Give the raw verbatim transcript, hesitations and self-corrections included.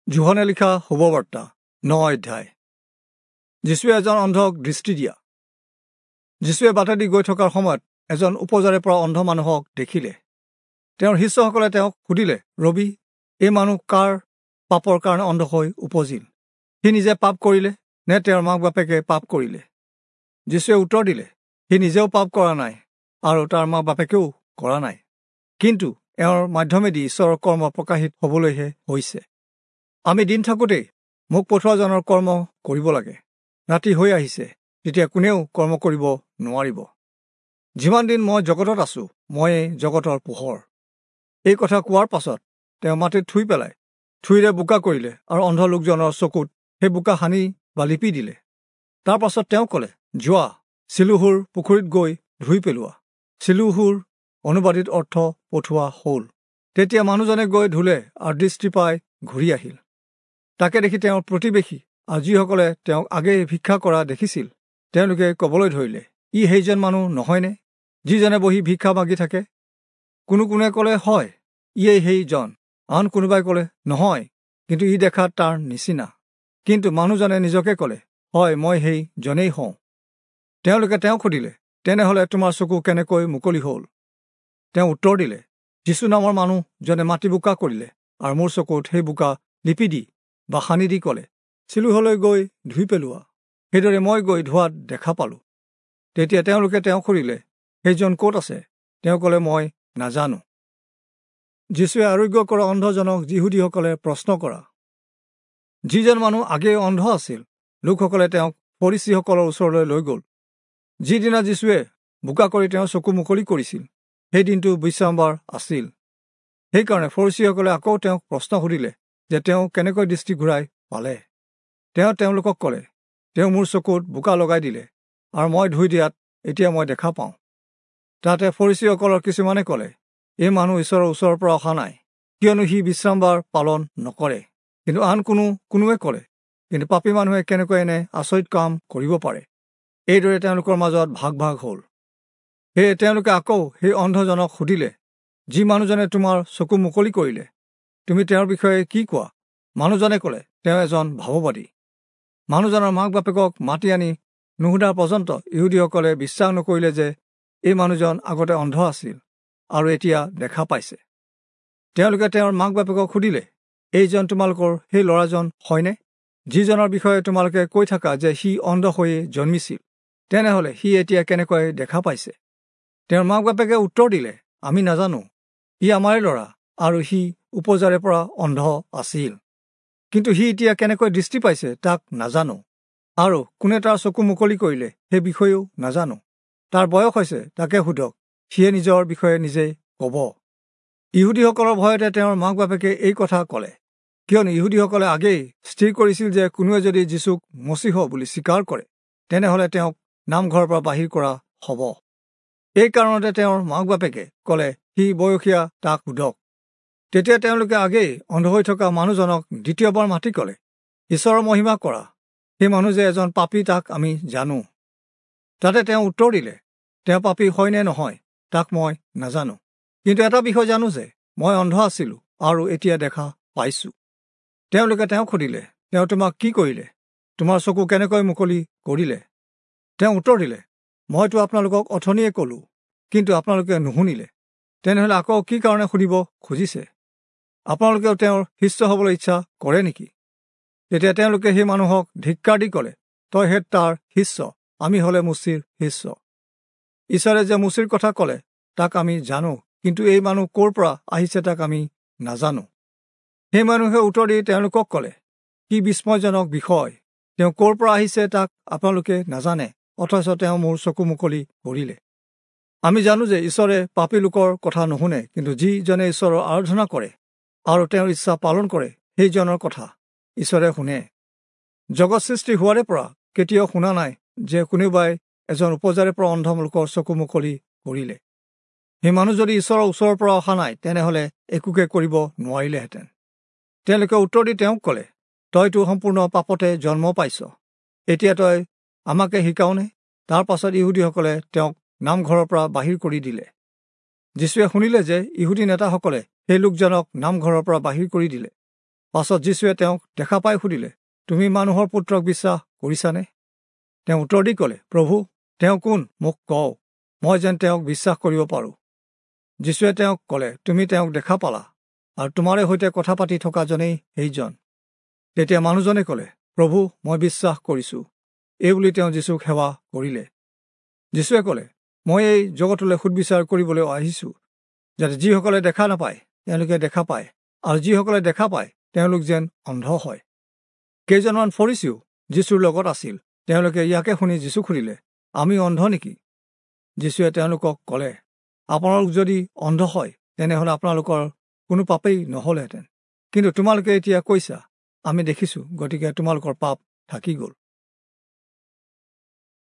যোহনে লিখা শুভবাৰ্তা ন অধ্যায়। যীশুৱে এজন অন্ধক দৃষ্টি দিয়া। যীশুৱে বাটেদি গৈ থকাৰ সময়ত এজন উপজাৰে পৰা অন্ধ মানুহক দেখিলে। তেওঁৰ শিষ্যসকলে তেওঁক সুধিলে, ৰবি, এই মানুহ কাৰ পাপৰ কাৰণে অন্ধ হৈ উপজিল? সি নিজে পাপ কৰিলে নে তেওঁৰ মাক বাপেকে পাপ কৰিলে? যীশুৱে উত্তৰ দিলে, সি নিজেও পাপ কৰা নাই আৰু তাৰ মাক বাপেকেও কৰা নাই, কিন্তু এওঁৰ মাধ্যমেদি ঈশ্বৰৰ কৰ্ম প্ৰকাশিত হ'বলৈহে হৈছে। আমি দিন থাকোঁতেই মোক পঠোৱাজনৰ কৰ্ম কৰিব লাগে। ৰাতি হৈ আহিছে, তেতিয়া কোনেও কৰ্ম কৰিব নোৱাৰিব। যিমান দিন মই জগতত আছোঁ, ময়েই জগতৰ পোহৰ। এই কথা কোৱাৰ পাছত তেওঁ মাটিত থুই পেলাই থুইৰে বোকা কৰিলে আৰু অন্ধ লোকজনৰ চকুত সেই বোকা সানি বা লিপি দিলে। তাৰ পাছত তেওঁ ক'লে, যোৱা, চিলোহুৰ পুখুৰীত গৈ ধুই পেলোৱা। চিলোহুৰ অনুবাদিত অৰ্থ পঠোৱা হ'ল। তেতিয়া মানুহজনে গৈ ধুলে আৰু দৃষ্টি পাই ঘূৰি আহিল। তাকে দেখি তেওঁৰ প্ৰতিবেশী আৰু যিসকলে তেওঁক আগেয়ে ভিক্ষা কৰা দেখিছিল, তেওঁলোকে ক'বলৈ ধৰিলে, ই সেইজন মানুহ নহয়নে যিজনে বহি ভিক্ষা মাগি থাকে? কোনো কোনোৱে ক'লে, হয়, ইয়েই সেইজন। আন কোনোবাই ক'লে, নহয়, কিন্তু ই দেখাত তাৰ নিচিনা। কিন্তু মানুহজনে নিজকে ক'লে, হয়, মই সেই জনেই হওঁ। তেওঁলোকে তেওঁক সুধিলে, তেনেহ'লে তোমাৰ চকু কেনেকৈ মুকলি হ'ল? তেওঁ উত্তৰ দিলে, যীশু নামৰ মানুহজনে মাটি বোকা কৰিলে আৰু মোৰ চকুত সেই বোকা লিপি দি বা সানি দি ক'লে, চিলোহলৈ গৈ ধুই পেলোৱা। সেইদৰে মই গৈ ধোৱাত দেখা পালোঁ। তেতিয়া তেওঁলোকে তেওঁক সুধিলে, সেইজন ক'ত আছে? তেওঁ ক'লে, মই নাজানো। যীশুৱে আৰোগ্য কৰা অন্ধজনক যিহুদীসকলে প্ৰশ্ন কৰা। যিজন মানুহ আগেয়ে অন্ধ আছিল, লোকসকলে তেওঁক ফৰীচীসকলৰ ওচৰলৈ লৈ গ'ল। যিদিনা যীশুৱে বোকা কৰি তেওঁৰ চকু মুকলি কৰিছিল, সেই দিনটো বিশ্ৰামবাৰ আছিল। সেইকাৰণে ফৰীচীসকলে আকৌ তেওঁক প্ৰশ্ন সুধিলে যে তেওঁ কেনেকৈ দৃষ্টি ঘূৰাই পালে। তেওঁ তেওঁলোকক ক'লে, তেওঁ মোৰ চকুত বোকা লগাই দিলে আৰু মই ধুই দিয়াত এতিয়া মই দেখা পাওঁ। তাতে ফৰীচীসকলৰ কিছুমানে ক'লে, এই মানুহ ঈশ্বৰৰ ওচৰৰ পৰা অহা নাই, কিয়নো সি বিশ্ৰামবাৰ পালন নকৰে। কিন্তু আন কোনো কোনোৱে ক'লে, কিন্তু পাপী মানুহে কেনেকৈ এনে আচৰিত কাম কৰিব পাৰে? এইদৰে তেওঁলোকৰ মাজত ভাগ ভাগ হ'ল। সেয়ে তেওঁলোকে আকৌ সেই অন্ধজনক সুধিলে, যি মানুহজনে তোমাৰ চকু মুকলি কৰিলে, তুমি তেওঁৰ বিষয়ে কি কোৱা? মানুহজনে ক'লে, তেওঁ এজন ভাৱবাদী। মানুহজনৰ মাক বাপেকক মাতি আনি নুসুধা পৰ্যন্ত ইহুদীসকলে বিশ্বাস নকৰিলে যে এই মানুহজন আগতে অন্ধ আছিল আৰু এতিয়া দেখা পাইছে। তেওঁলোকে তেওঁৰ মাক বাপেকক সুধিলে, এইজন তোমালোকৰ সেই ল'ৰাজন হয়নে, যিজনৰ বিষয়ে তোমালোকে কৈ থাকা যে সি অন্ধ হৈয়ে জন্মিছিল? তেনেহ'লে সি এতিয়া কেনেকৈ দেখা পাইছে? তেওঁৰ মাক বাপেকে উত্তৰ দিলে, আমি নাজানো। ই আমাৰে ল'ৰা আৰু সি উপজাৰে পৰা অন্ধ আছিল, কিন্তু সি এতিয়া কেনেকৈ দৃষ্টি পাইছে তাক নাজানো, আৰু কোনে তাৰ চকু মুকলি কৰিলে সেই বিষয়েও নাজানো। তাৰ বয়স হৈছে, তাকে সোধক, সিয়ে নিজৰ বিষয়ে নিজেই ক'ব। ইহুদীসকলৰ ভয়তে তেওঁৰ মাক বাপেকে এই কথা ক'লে, কিয়নো ইহুদীসকলে আগেই স্থিৰ কৰিছিল যে কোনোৱে যদি যীশুক মচীহ বুলি স্বীকাৰ কৰে, তেনেহ'লে তেওঁক নামঘৰৰ পৰা বাহিৰ কৰা হ'ব। এই কাৰণতে তেওঁৰ মাক বাপেকে ক'লে, সি বয়সীয়া, তাক সোধক। তেতিয়া তেওঁলোকে আগেই অন্ধ হৈ থকা মানুহজনক দ্বিতীয়বাৰ মাতি ক'লে, ঈশ্বৰৰ মহিমা কৰা, সেই মানুহ যে এজন পাপী তাক আমি জানো। তাতে তেওঁ উত্তৰ দিলে, তেওঁ পাপী হয় নে নহয় তাক মই নাজানো, কিন্তু এটা বিষয় জানো যে মই অন্ধ আছিলোঁ আৰু এতিয়া দেখা পাইছোঁ। তেওঁলোকে তেওঁক সুধিলে, তেওঁ তোমাক কি কৰিলে? তোমাৰ চকু কেনেকৈ মুকলি কৰিলে? তেওঁ উত্তৰ দিলে, মইতো আপোনালোকক অথনিয়ে ক'লোঁ, কিন্তু আপোনালোকে নুশুনিলে। তেনেহ'লে আকৌ কি কাৰণে সুধিব খুজিছে? আপোনালোকেও তেওঁৰ শিষ্য হ'বলৈ ইচ্ছা কৰে নেকি? তেতিয়া তেওঁলোকে সেই মানুহক ধিক্কাৰ দি ক'লে, তই হে তাৰ শিষ্য, আমি হ'লে মোচিৰ শিষ্য। ঈশ্বৰে যে মোচিৰ কথা ক'লে তাক আমি জানো, কিন্তু এই মানুহ ক'ৰ পৰা আহিছে তাক আমি নাজানো। সেই মানুহে উত্তৰ দি তেওঁলোকক ক'লে, কি বিস্ময়জনক বিষয়! তেওঁ ক'ৰ পৰা আহিছে তাক আপোনালোকে নাজানে, অথচ তেওঁ মোৰ চকু মুকলি কৰিলে। আমি জানো যে ঈশ্বৰে পাপী লোকৰ কথা নুশুনে, কিন্তু যিজনে ঈশ্বৰৰ আৰাধনা কৰে আৰু তেওঁৰ ইচ্ছা পালন কৰে, সেইজনৰ কথা ঈশ্বৰে শুনে। জগত সৃষ্টি হোৱাৰে পৰা কেতিয়াও শুনা নাই যে কোনোবাই এজন উপজাৰে পৰা অন্ধ লোকৰ চকু মুকলি কৰিলে। সেই মানুহ যদি ঈশ্বৰৰ ওচৰৰ পৰা অহা নাই, তেনেহ'লে একোকে কৰিব নোৱাৰিলেহেঁতেন। তেওঁলোকে উত্তৰ দি তেওঁক ক'লে, তইতো সম্পূৰ্ণ পাপতে জন্ম পাইছ, এতিয়া তই আমাকে শিকাওনে? তাৰ পাছত ইহুদীসকলে তেওঁক নামঘৰৰ পৰা বাহিৰ কৰি দিলে। যীশুৱে শুনিলে যে ইহুদী নেতাসকলে সেই লোকজনক নামঘৰৰ পৰা বাহিৰ কৰি দিলে। পাছত যীশুৱে তেওঁক দেখা পাই সুধিলে, তুমি মানুহৰ পুত্ৰক বিশ্বাস কৰিছানে? তেওঁ উত্তৰ দি ক'লে, প্ৰভু, তেওঁ কোন মোক কওক, মই যেন তেওঁক বিশ্বাস কৰিব পাৰোঁ। যীশুৱে তেওঁক ক'লে, তুমি তেওঁক দেখা পালা, আৰু তোমাৰে সৈতে কথা পাতি থকাজনেই সেইজন। তেতিয়া মানুহজনে ক'লে, প্ৰভু, মই বিশ্বাস কৰিছোঁ। এইবুলি তেওঁ যীশুক সেৱা কৰিলে। যীশুৱে ক'লে, মই এই জগতলৈ সুদবিচাৰ কৰিবলৈ আহিছোঁ, যাতে যিসকলে দেখা নাপায় তেওঁলোকে দেখা পায়, আৰু যিসকলে দেখা পায় তেওঁলোক যেন অন্ধ হয়। কেইজনমান ফৰীচীও যীশুৰ লগত আছিল। তেওঁলোকে ইয়াকে শুনি যীশুক সুধিলে, আমি অন্ধ নেকি? যীশুৱে তেওঁলোকক ক'লে, আপোনালোক যদি অন্ধ হয় তেনেহ'লে আপোনালোকৰ কোনো পাপেই নহ'লহেঁতেন, কিন্তু তোমালোকে এতিয়া কৈছা, আমি দেখিছোঁ, গতিকে তোমালোকৰ পাপ থাকি গ'ল।